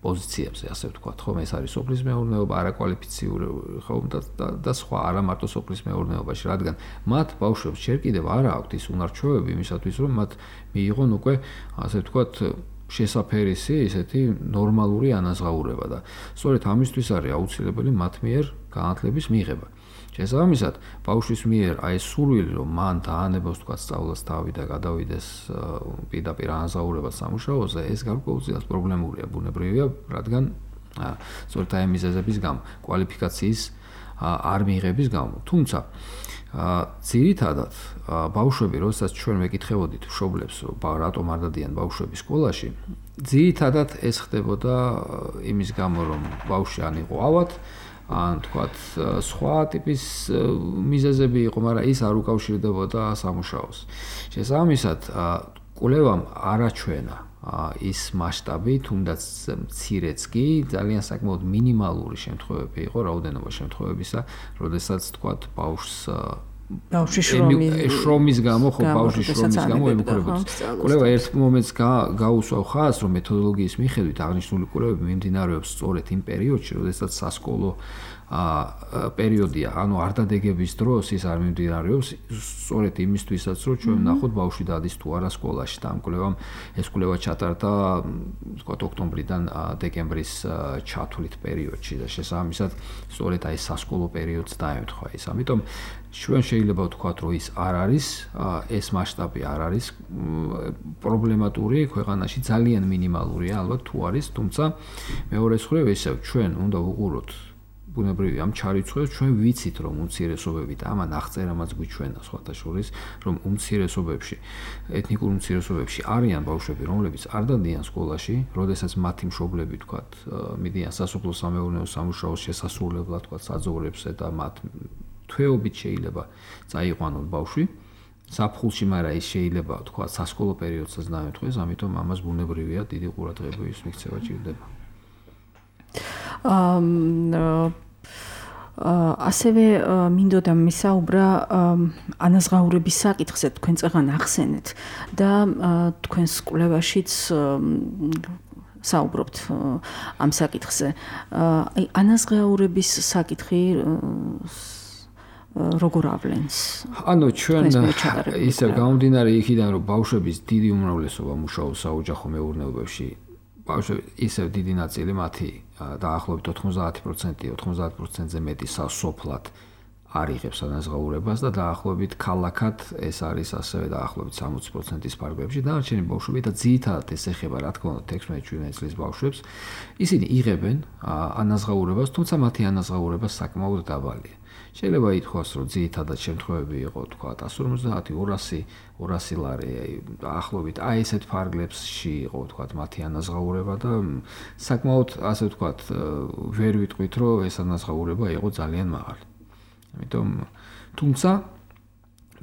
პოზიციებზე, ასე ვთქვათ, ხომ ეს არის სოფლის მეურნეობა, არაკვალიფიციური, ხომ და სხვა, არა მარტო სოფლის მეურნეობაში, რადგან მათ ბავშვებს ჯერ კიდევ არ აქვთ ის უნარჩვევები იმისათვის, რომ მათ მიიღონ უკვე, ასე ვთქვათ, შესაფერისი, ესეთი ნორმალური ანაზღაურება და სწორედ ამისთვის არის აუცილებელი მათ მიერ განათლების მიღება. შესაბამისად, ბავშვის მიერ აი სურვილი, რომ მან დაანებოს თქვა სწავლას თავი და გადავიდეს პირდაპირ ანაზღაურებას სამუშაოზე, ეს გარკვეულწილად პრობლემურია, ბუნებრივია, რადგან სწორედ აი მიზეზების გამო, კვალიფიკაციის არ მიღების გამო. თუმცა ძირითადად ბავშვები, როდესაც ჩვენ მეკითხებოდით მშობლებს, რატომ არ დადიან ბავშვები სკოლაში, ძირითადად ეს ხდებოდა იმის გამო, რომ ბავშვი ან იყო ავად ან თქვათ სხვა ტიპის მიზეზები იყო, მაგრამ ის არ უკავშირდებოდა სამუშაოს. შესაბამისად, კვლევამ არაჩვენა ის მასშტაბი, თუნდაც მცირეც კი, ძალიან საკმაოდ მინიმალური შემთხვევები იყო, რაოდენობა შემთხვევებისა, როდესაც თქვათ ბავშვის შრომის გამო, ხო ბავშვის შრომის გამო ემუქრებოდეს. კვლევა ერთ მომენტს გაუსვავ ხაზს, რომ მეთოდოლოგიის მიხედვით აღნიშნული კვლევები მიმდინარეობს სწორედ იმ პერიოდში, როდესაც სასკოლო პერიოდია, ანუ არ დადეგების დროს ის არ მიმდინარეობს, სწორედ იმისთვისაც, რომ ჩვენ ვნახოთ ბავშვი დადის თუ არა სკოლაში და ამ კვლევამ ეს კვლევა ჩატარდა, ვთქვათ, ოქტომბრიდან დეკემბრის ჩათვლით პერიოდში და შესაბამისად, სწორედ აი სასკოლო პერიოდს დაემთხვა ის. ამიტომ ჩვენ შეიძლება ვთქვათ, რომ ის არ არის, ეს მასშტაბი არ არის პრობლემატური ქვეყანაში, ძალიან მინიმალურია, ალბათ თუ არის, თუმცა მეორე მხრივ ისევ ჩვენ უნდა ვუყუროთ ბუნებრივია ამ ჩარიცხვებს, ჩვენ ვიცით, რომ უმცირესობები და ამან აღწერამაც გვიჩვენა სხვათა შორის, რომ უმცირესობებში, ეთნიკურ უმცირესობებში არიან ბავშვები, რომლებიც არ დადიან სკოლაში, როდესაც მათი მშობლები, თქვათ, მიდიან სასოფლო-სამეურნეო სამუშაოს შესასრულებლად, თქვათ, საძოვრებზე და მათ თვეობით შეიძლება წაიყვანონ ბავშვი საფხულში, მაგრამ ის შეიძლება თქვა სასკოლო პერიოდსაც დაემთხოს, ამიტომ ამას ბუნებრივია დიდი ყურადღების მიქცევა ჭირდება. ასევე მინდოდა მისაუბრა ანაზღაურების საკითხზე, თქვენ წაღან ახსენეთ და თქვენს კვლევაშიც საუბრობთ ამ საკითხზე. აი ანაზღაურების საკითხი როგორ ავლენს? ანუ ჩვენ ისე გამომდინარე იქიდან, რომ ბავშვების დიდი უმრავლესობა მუშაობს საოჯახო მეურნეობებში, ბავშვები ისევ დიდი ნაწილი მათი დაახლოებით 90%-ზე მეტი სასოფლად არ იღებს ანაზღაურებას და დაახლოებით ქალაქად ეს არის ასევე დაახლოებით 60%-ის ფარგლებში. დანარჩენი ბავშვები და ძირითადად ეს ეხება რა თქმა უნდა 16-17 წლის ბავშვებს. ისინი იღებენ ანაზღაურებას, თუმცა მათი ანაზღაურება საკმაოდ დაბალია. შეიძლება ითქვას, რომ ძირითადად შემთხვევები იყო, თქვა 150, 200 ლარი, დაახლოებით აი ესეთ ფარგლებში იყო, თქვა მათი ანაზღაურება და საკმაოდ ასე ვთქვა, ვერ ვიტყვით, რომ ეს ანაზღაურება იყო ძალიან მაღალი. ამიტომ თუმცა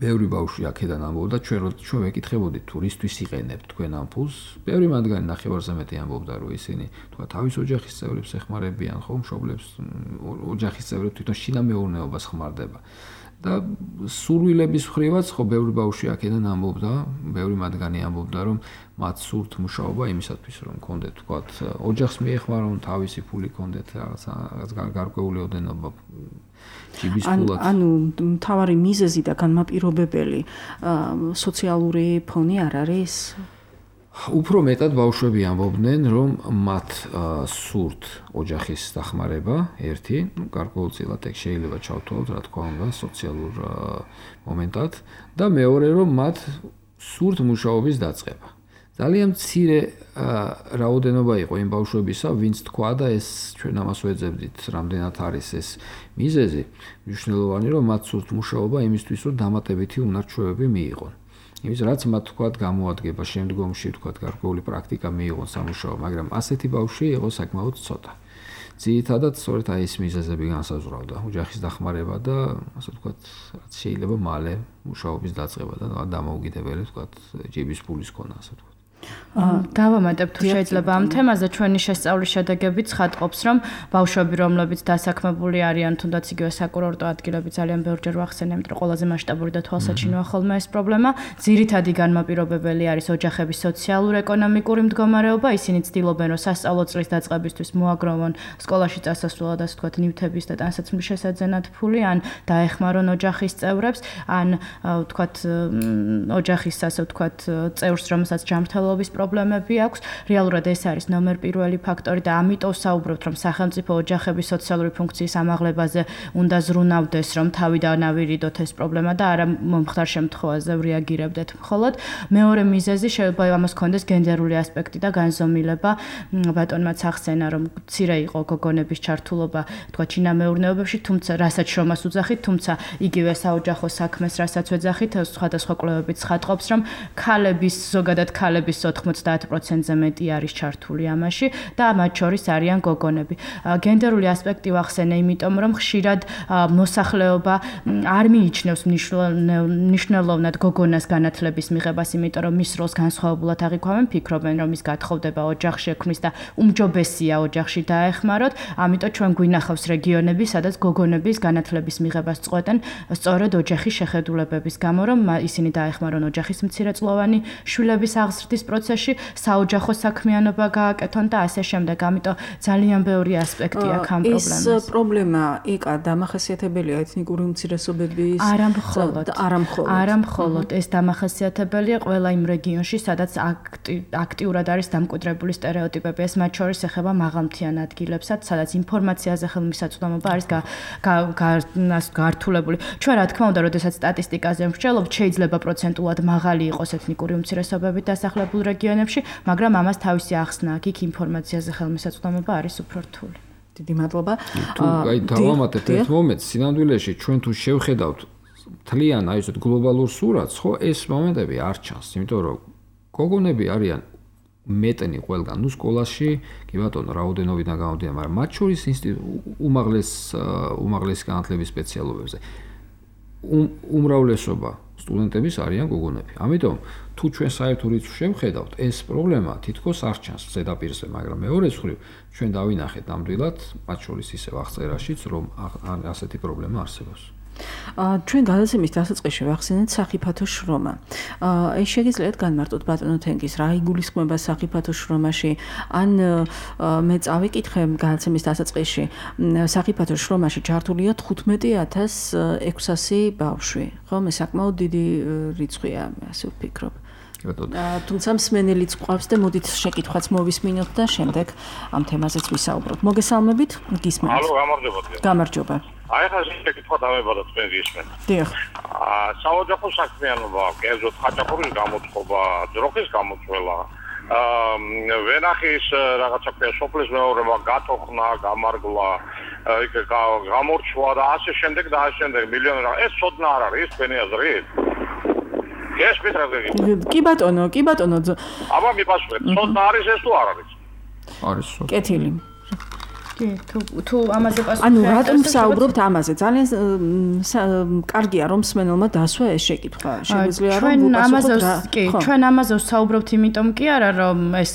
ბევრი ბავშვი აქედან ამბობდა, ჩვენ ვეკითხებოდით თუ რისთვის იყენებთ თქვენ ამ ფულს. ბევრი მათგანი ნახევარზე მეტი ამბობდა, რომ ისინი თქვა თავის ოჯახის წევრებს ეხმარებიან, ხო, მშობლებს, ოჯახის წევრებს თვითონ შინამეურნეობას ხმარდება. და სურვილების მხრივაც ხო ბევრი ბავშვი აქედან ამბობდა, ბევრი მათგანი ამბობდა, რომ მათ სურთ მუშაობა იმისათვის, რომ კონდეთ თქვა ოჯახს მიეხმარონ, თავისი ფული კონდეთ რაღაცა გარკვეული ოდენობა ჯიბის ფულად. ანუ მთავარი მიზეზი და განმაპირობებელი სოციალური ფონი არ არის? უფრო მეტად ბავშვები ამბობდნენ, რომ მათ სურთ ოჯახის დახმარება, ერთი, გარკვეულწილად ეგ შეიძლება ჩავთვალოთ, რა თქმა უნდა, სოციალურ მომენტად და მეორე, რომ მათ სურთ მუშაობის დაწყება. ძალიან მცირე რაოდენობა იყო იმ ბავშვებისა, ვინც თქვა და ეს ჩვენ ამას ვეძებდით, რამდენად არის ეს მიზეზი, მნიშვნელოვანი, რომ მათ სურთ მუშაობა იმისთვის, რომ დამატებითი უნარჩვევები მიიღონ. იმის რაც მათ თქვათ გამოადგება შემდგომში თქვათ გარკვეული პრაქტიკა მიიღონ სამუშაო, მაგრამ ასეთი ბავშვი იყო საკმაოდ ცოტა. ძირითადად სწორედ აი ეს მიზეზები განსაზღვრავდა ოჯახის დახმარება და ასე ვთქვათ, რაც შეიძლება მალე მუშაობის დაწყება და დამოუკიდებელი ვთქვათ ჯიბის ფულის ქონა, ასე ვთქვათ. დავამატებ თუ შეიძლება ამ თემაზე ჩვენი შესწავლის შედეგები ცხადყოფს, რომ ბავშვები, რომლებიც დასაქმებული არიან, თუნდაც იგივე საკურორტო ადგილები ძალიან ბევრჯერ ვახსენებთ, რომ ყველაზე მასშტაბური და თვალსაჩინოა ხოლმე ეს პრობლემა. ძირითადი განმაპირობებელი არის ოჯახების სოციალურ-ეკონომიკური მდგომარეობა. ისინი ცდილობენ, რომ სასწავლო წლის დაწყებისთვის მოაგროვონ სკოლაში წასასვლელად, ასე ვთქვათ, ნივთების და ტანსაცმლის შესაძენად ფული, ან დაეხმარონ ოჯახის წევრებს, ან ვთქვათ, ოჯახის ასე ვთქვათ, წევრს, რომელსაც ჯანმრთელობის პრობლემები აქვს. რეალურად ეს არის ნომერ პირველი ფაქტორი და ამიტომ საუბრობთ, რომ სახელმწიფო ოჯახების სოციალური ფუნქციის ამაღლებაზე უნდა ზრუნავდეს, რომ თავიდან ავირიდოთ ეს პრობლემა და არა მომხდარ შემთხვევაზე რეაგირებდეთ მხოლოდ. მეორე მიზეზი შეიძლება ამას კონდეს გენდერული ასპექტი და განზომილება. ბატონმაც ახსენა, რომ მცირე იყო გოგონების ჩართულობა, თქვა ჩინამეურნეობებში, თუმცა რასაც შრომას უძახით, თუმცა იგივე საოჯახო საქმეს რასაც ვეძახით, სხვადასხვა კვლევებით ცხადყოფს, რომ ქალების, ზოგადად ქალების 90%-ზე მეტი არის ჩართული ამაში და მათ შორის არიან გოგონები. გენდერული ასპექტი ვახსენე, იმიტომ რომ ხშირად მოსახლეობა არ მიიჩნევს მნიშვნელოვნად გოგონას განათლების მიღებას, იმიტომ რომ მის როლს განსხვავებულად აღიქვამენ, ფიქრობენ, რომ ის გათხოვდება ოჯახში ექმნის და უმჯობესია ოჯახში დაეხმაროთ. ამიტომ ჩვენ გვინახავს რეგიონები, სადაც გოგონების განათლების მიღებას წყვეტენ სწორედ ოჯახის შეხედულებების გამო, რომ ისინი დაეხმარონ ოჯახის მცირეწლოვანი შვილების აღზრდის პროცესში, საოჯახო საქმიანობა გააკეთონ და ასე შემდეგ. ამიტომ ძალიან ბევრი ასპექტი აქვს ამ პრობლემას. ეს პრობლემა ეკა დამახასიათებელია ეთნიკური უმცირესობების არა მხოლოდ ეს დამახასიათებელია ყველა იმ რეგიონში, სადაც აქტიურად არის დამკვიდრებული სტერეოტიპები. ეს მათ შორის ეხება მაღალმთიან ადგილებსაც, სადაც ინფორმაციაზე ხელმისაწვდომობა არის გართულებული. ჩვენ რა თქმა უნდა, როდესაც სტატისტიკაზე ვმსჯელობთ, შეიძლება პროცენტულად მაღალი იყოს ეთნიკური უმცირესობებით დასახლებულ რეგიონებში, მაგრამ ამას თავისი ახსნა აქვს, იქ ინფორმაციაზე ხელმისაწვდომობა არის უფრო რთული. დიდი მადლობა. თუ აი დავამატებ ერთ მომენტს, სინამდვილეში ჩვენ თუ შევხედავთ თლიან აი ესეთ გლობალურ სურათს, ხო, ეს მომენტები არ ჩანს, იმიტომ რომ გოგონები არიან მეტნი ყველგან, ნუ სკოლაში, კი ბატონო, რაოდენობიდან გამომდინარე, მაგრამ მათ შორის უმაღლესი განათლების სპეციალობებზე უმრავლესობა სტუდენტების არიან გოგონები. ამიტომ თუ ჩვენ საერთო რიცხვს შევხედავთ, ეს პრობლემა თითქოს არ ჩანს ზედაპირზე, მაგრამ მეორე მხრივ ჩვენ დავინახეთ ნამდვილად, მათ შორის ისევ აღწერაშიც, რომ ასეთი პრობლემა არსებობს. ჩვენ გადაცემის დასაწყისში ვახსენეთ სახიფათო შრომა. ეს შეგიძლიათ განმარტოთ ბატონო თენგის, რა იგულისხმება სახიფათო შრომაში? ან მე წავიკითხე გადაცემის დასაწყისში, სახიფათო შრომაში ჩართულია 15,600 ბავშვი. ხო, მე საკმაოდ დიდი რიცხვია, ასე ვფიქრობ. თუმცა მსმენელიც გვყავს და მოდით შეკითხვაც მოვისმინოთ და შემდეგ ამ თემაზეც ვისაუბროთ. მოგესალმებით, გისმენთ. ალო, გამარჯობა. გამარჯობა. აი ხა შეკითხვა დავებადა თქვენ გისმენთ. დიახ. საოჯახო საქმიანობა, კერძოდ ხაჭაპურის გამოწყობა, ძროხის გამოწვევა, ვენახის რაღაცა სოფლის მეურნეობა, გატოხნა, გამარგვა, გამორჩვა და ასე შემდეგ და ასე შემდეგ მილიონი რა. ეს ცოდნა არ არის თქვენი აზრით? ეს პეტრაგები. კი ბატონო. აბა მიპასუხეთ, ცოდნა არის ეს თუ არ არის? არის. კეთილი. თუ ამაზე პასუხი ანუ რატომ საუბრობთ ამაზე? ძალიან კარგია რომ მსმენელმა დასვა ეს შეკითხვა. შეგვიძლია რომ ვუპასუხოთ. ჩვენ ამაზე ვსაუბრობთ იმიტომ კი არა რომ ეს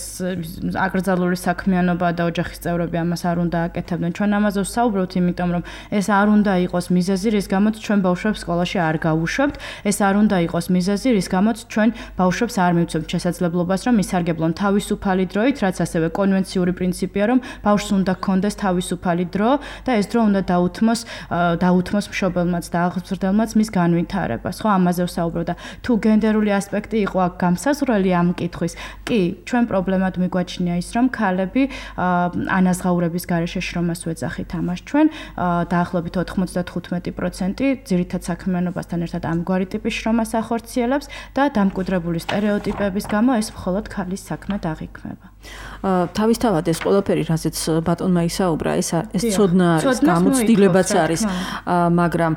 აკრძალული საქმიანობა და ოჯახის წევრები ამას არ უნდა აკეთებდნენ. ჩვენ ამაზე ვსაუბრობთ იმიტომ რომ ეს არ უნდა იყოს მიზეზი, რის გამოც ჩვენ ბავშვებს სკოლაში არ გავუშვებთ. ეს არ უნდა იყოს მიზეზი, რის გამოც ჩვენ ბავშვებს არ მივცემთ შესაძლებლობას რომ ისარგებლონ თავისუფალი დროით, რაც ასევე კონვენციური პრინციპია რომ ბავშვს უნდა ჰქონდეს თავისუფალი დრო და ეს დრო უნდა დაუთმოს მშობელმაც და აღზრდელმაც მის განვითარებას. ხო, ამაზე ვსაუბრობ და თუ გენდერული ასპექტი იყო აქ გამსაზღვრელი ამ კითხვის, კი, ჩვენ პრობლემად მიგვაჩნია ის, რომ ქალები ანაზღაურების გარეშე შრომას ვეძახით ამას ჩვენ, დაახლოებით 95% ძირითად საქმიანობასთან ერთად ამგვარი ტიპის შრომას ახორციელებს და დამკვიდრებული სტერეოტიპების გამო ეს მხოლოდ ქალის საქმედ აღიქმება. თავისთავად ეს ყველაფერი, რაზეც ბატონმა ისაუბრა, ეს ცოდნა არის, გამოცდილებაც არის, მაგრამ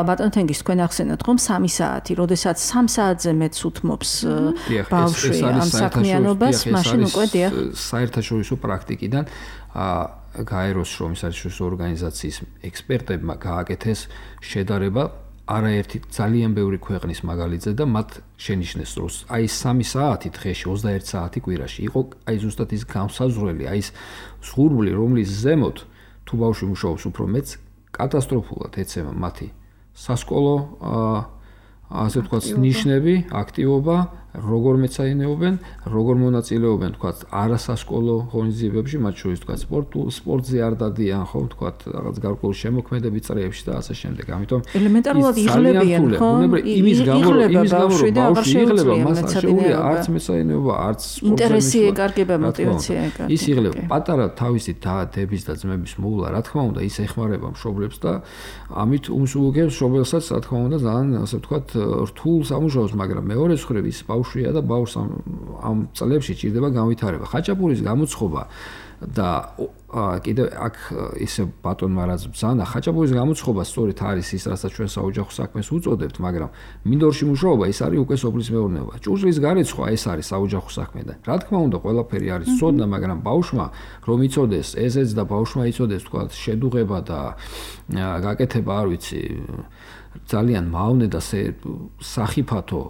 ბატონ თენგის თქვენ ახსენეთ, რომ 3 საათი, როდესაც 3 საათზე მეც უთმობს ბავშვი ამ საქმიანობას, მაშინ უკვე დიახ. საერთაშორისო პრაქტიკიდან გაეროს შრომის საერთაშორისო ორგანიზაციის ექსპერტებმა გააკეთეს შედარება არაერთი ძალიან ბევრი ქვეყნის მაგალითზე და მათ შენიშნეს, რომ აი 3 საათი დღეში, 21 საათი კვირაში იყო აი ზუსტად ის გამსაზღვრელი, აი ეს სხურბული, რომლის ზემოთ თუ ბავშვი მუშაობს უფრო მეც, კატასტროფულად ეცემა მათი სასკოლო ასე ვთქვათ ნიშნები, აქტივობა, როგორ მეცაინეობენ, როგორ მონაწილეობენ, ვთქვათ, არასასკოლო ღონისძიებებში, მათ შორის ვთქვათ, სპორტზე არ დადიან, ხო, ვთქვათ, რაღაც გარკვეული შემოქმედებით წრეებში და ასე შემდეგ. ამიტომ ელემენტარულად იღლებიან, ხო? იმის გამო ბავშვი იღლება, მას არ შეუძლია არც მეცაინეობა, არც სპორტზე ინტერესი ეკარგება, мотиваცია ეკარგება. ის იღლება პატარა თავისი დების და ძმების მოულა, რა თქმა უნდა, ის ეხმარება მშობლებს და ამით უმსუბუქებს მშობელსაც, რა თქმა უნდა, ძალიან ასე ვთქვათ, რთულ სამუშაოს, მაგრამ მეორე მხრივ ის ბავშვია და ბავშვს ამ წლებში ჭირდება განვითარება. ხაჭაპურის გამოცხობა და კიდევ აქ ისე ბატონმა რაც ბრძანა, ხაჭაპურის გამოცხობა სწორედ არის ის, რასაც ჩვენ საოჯახო საქმეს უწოდებთ, მაგრამ მინდორში მუშაობა ის არის უკვე სოფლის მეურნეობა. ჭურჭლის გარეცხვა ეს არის საოჯახო საქმე და რა თქმა უნდა, ყველაფერი არის ცოდნა, მაგრამ ბავშვმა რომ იცოდეს ესეც და ბავშვმა იცოდეს თქვა შედუღება და გაკეთება, არ ვიცი, ძალიან მავნე და სახიფათო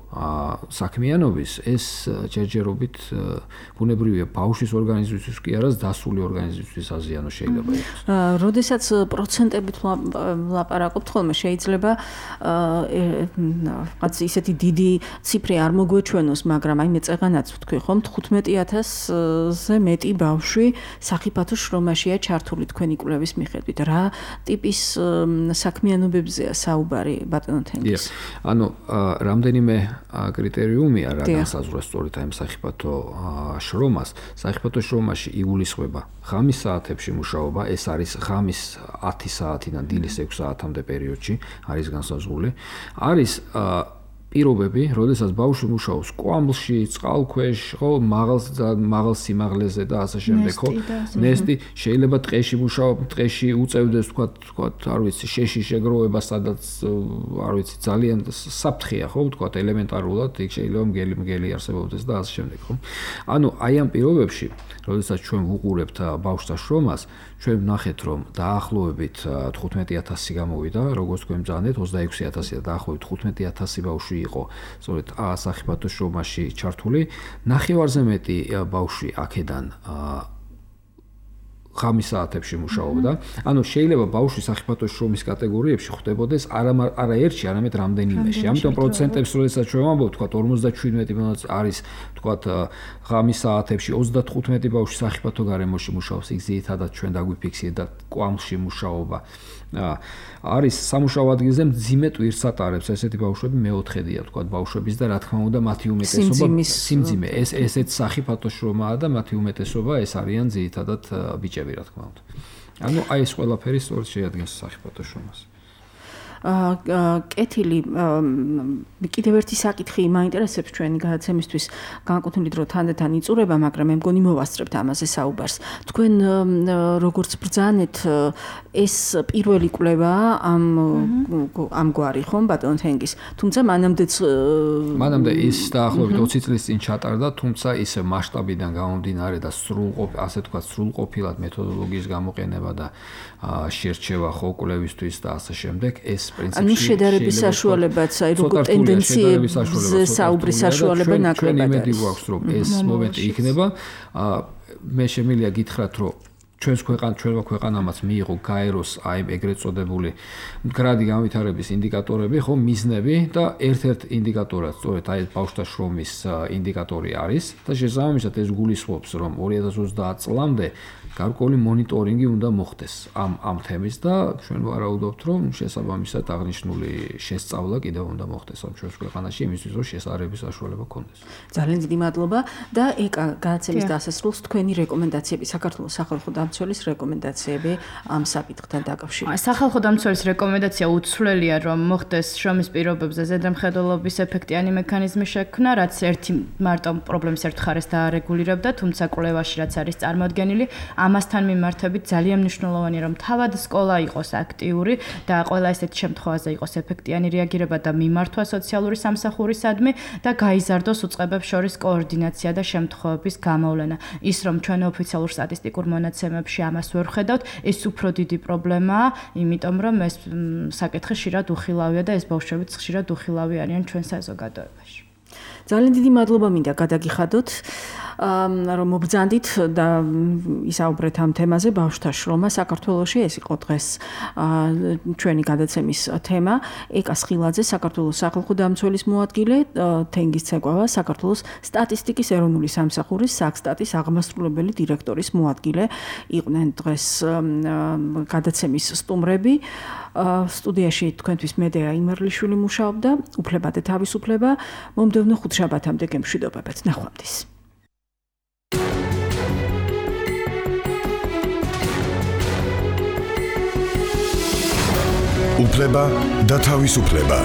საქმიანობის ეს ჯერჯერობით ბუნებრივია ბავშვის ორგანიზმისთვის კი არა დასული ორგანიზმისთვის აზიანო შეიძლება იყოს. როდესაც პროცენტებით ლაპარაკობთ ხოლმე შეიძლება რაღაც ისეთი დიდი ციფრი არ მოგვეჩვენოს, მაგრამ აი მე წეღანაც ვთქვი ხომ 15000-ზე მეტი ბავშვი სახიფათო შრომაშია ჩართული თქვენი კვლევის მიხედვით. რა ტიპის საქმიანობებზეა საუბარი? ბატონო თენგის. ანუ რამდენიმე კრიტერიუმია რა განსაზღვროს სწორედ აი სახიფათო შრომას. სახიფათო შრომაში იულისხმება ღამის საათებში მუშაობა, ეს არის ღამის 10 საათიდან დილის 6 საათამდე პერიოდში არის განსაზღვრული. არის პირობები, როდესაც ბავშვი მუშაობს კვამლში, წყალქვეშ, ხო, მაღალ სიმაღლეზე და ასე შემდეგ, ხო? ნესტი შეიძლება ტყეში მუშაობს, ტყეში უწევდეს, თქვათ, არ ვიცი, შეში შეგროვება, სადაც არ ვიცი, ძალიან საფრთხეა, ხო, თქვათ, ელემენტარულად, იქ შეიძლება მგელი არსებობდეს და ასე შემდეგ, ხო? ანუ აი ამ პირობებში, როდესაც ჩვენ ვუყურებთ ბავშვთა შრომას, ჩვენ ვნახეთ, რომ დაახლოებით 15000 გამოვიდა, როგორც თქვენ ბრძანეთ, 26000 და დაახლოებით 15000 ბავშვი იყო სწორედ სახიფათო შრომაში ჩართული. ნახევარზე მეტი ბავშვი აქედან ღამის საათებში მუშაობდა. ანუ შეიძლება ბავშვი სახიფათო შრომის კატეგორიებში ხვდებოდეს არა ერთში, არამედ რამდენიმეში. ამიტომ პროცენტებს როდესაც ჩვენ ვამბობთ, თქვა 57% არის, თქვა ღამის საათებში 35 ბავშვი სახიფათო გარემოში მუშაობს, იქ ძირითადად ჩვენ დაგვიფიქსირდა კვამლში მუშაობა. არის სამუშაო ადგილზე მძიმე ტვირთს ატარებს ესეთი ბავშვები მეოთხედია, თქვა ბავშვების და რა თქმა უნდა მათი უმეტესობა სიმძიმე. ესეც სახიფათო შრომაა და მათი უმეტესობა ეს არიან ძირითადად ბიჭები, რა თქმა უნდა. ანუ აი ეს ყველაფერი სწორედ შეადგენს სახიფათო შრომას. კეთილი კიდევ ერთი საკითხი მაინტერესებს ჩვენი გადაცემისთვის განკუთვნილ დრო თანდათან იწურება, მაგრამ მე მგონი მოვასწრებთ ამაზე საუბარს. თქვენ როგორც ბრძანეთ ეს პირველი კვლევა ამგვარი ხომ ბატონ თენგის, თუმცა მანამდე ის დაახლოებით 20 წლის წინ ჩატარდა, თუმცა ისე მასშტაბიდან გამომდინარე და ასე თქვა სრულყოფილად მეთოდოლოგიის გამოყენება და შერჩევა ხო კვლევისთვის და ასე შემდეგ ეს პრინციპში ანუ შედარების საშუალებაც აი როგორ ტენდენციებზე საუბრის საშუალება ნაკლებად იმედი გვაქვს რომ ეს მომენტი იქნება მე შემიძლია გითხრათ რომ ჩვენმა ქვეყანამაც მიიღო გაეროს აი ეგრეთ წოდებული მდგრადი განვითარების ინდიკატორები ხო მიზნები და ერთ-ერთ ინდიკატორად სწორედ აი ბავშვთა შრომის ინდიკატორი არის და შესაბამისად ეს გულისხმობს რომ 2030 წლამდე გარკვეული მონიტორინგი უნდა მოხდეს ამ თემის და ჩვენ ვარაუდობთ რომ შესაბამისად აღნიშნული შესწავლა კიდევ უნდა მოხდეს ამ ჩვენს ქვეყანაში იმისთვის რომ შესაძლებელი საშუალება გქონდეს. ძალიან დიდი მადლობა და ეკა გადაცემის დასასრულს თქვენი რეკომენდაციები საქართველოს სახალხო დამცველის რეკომენდაციები ამ საკითხთან დაკავშირებით. სახალხო დამცველის რეკომენდაცია უცვლელია რომ მოხდეს შრომის პირობებზე ზედამხედველობის ეფექტიანი მექანიზმი შექმნა, რაც ერთი მარტო პრობლემის ერთ მხარეს დაარეგულირებდა, თუმცა კვლევაში რაც არის წარმოდგენილი ამასთან მიმართებით ძალიან მნიშვნელოვანია რომ თავად სკოლა იყოს აქტიური და ყველა ესეთი შემთხვევაზე იყოს ეფექტიანი რეაგირება და მიმართვა სოციალური სამსახურისადმი და გაიზარდოს უწყებებს შორის კოორდინაცია და შემთხვევების გამოვლენა. ის რომ ჩვენ ოფიციალურ სტატისტიკურ მონაცემებში ამას ვერ ხედავთ, ეს უფრო დიდი პრობლემაა, იმიტომ რომ ეს საკითხი ხშირად უხილავია და ეს ბავშვებიც ხშირად უხილავი არიან ჩვენ საზოგადოებაში. ძალიან დიდი მადლობა მინდა გადაგიხადოთ რომ მობრძანდით და ისაუბრეთ ამ თემაზე ბავშვთა შრომა საქართველოში. ეს იყო დღეს ჩვენი გადაცემის თემა. ეკა სხილაძე, საქართველოს სახალხო დამცველის მოადგილე, თენგის ცეკვავა, საქართველოს სტატისტიკის ეროვნული სამსახურის საქსტატის აღმასრულებელი დირექტორის მოადგილე იყვნენ დღეს გადაცემის სტუმრები. სტუდიაში თქვენთვის მედეა იმერლიშვილი მუშაობდა, უფლება და თავისუფლება. მომდევნო ხუთშაბათამდე გემშვიდობებთ. ნახვამდის. უფლება და თავისუფლება.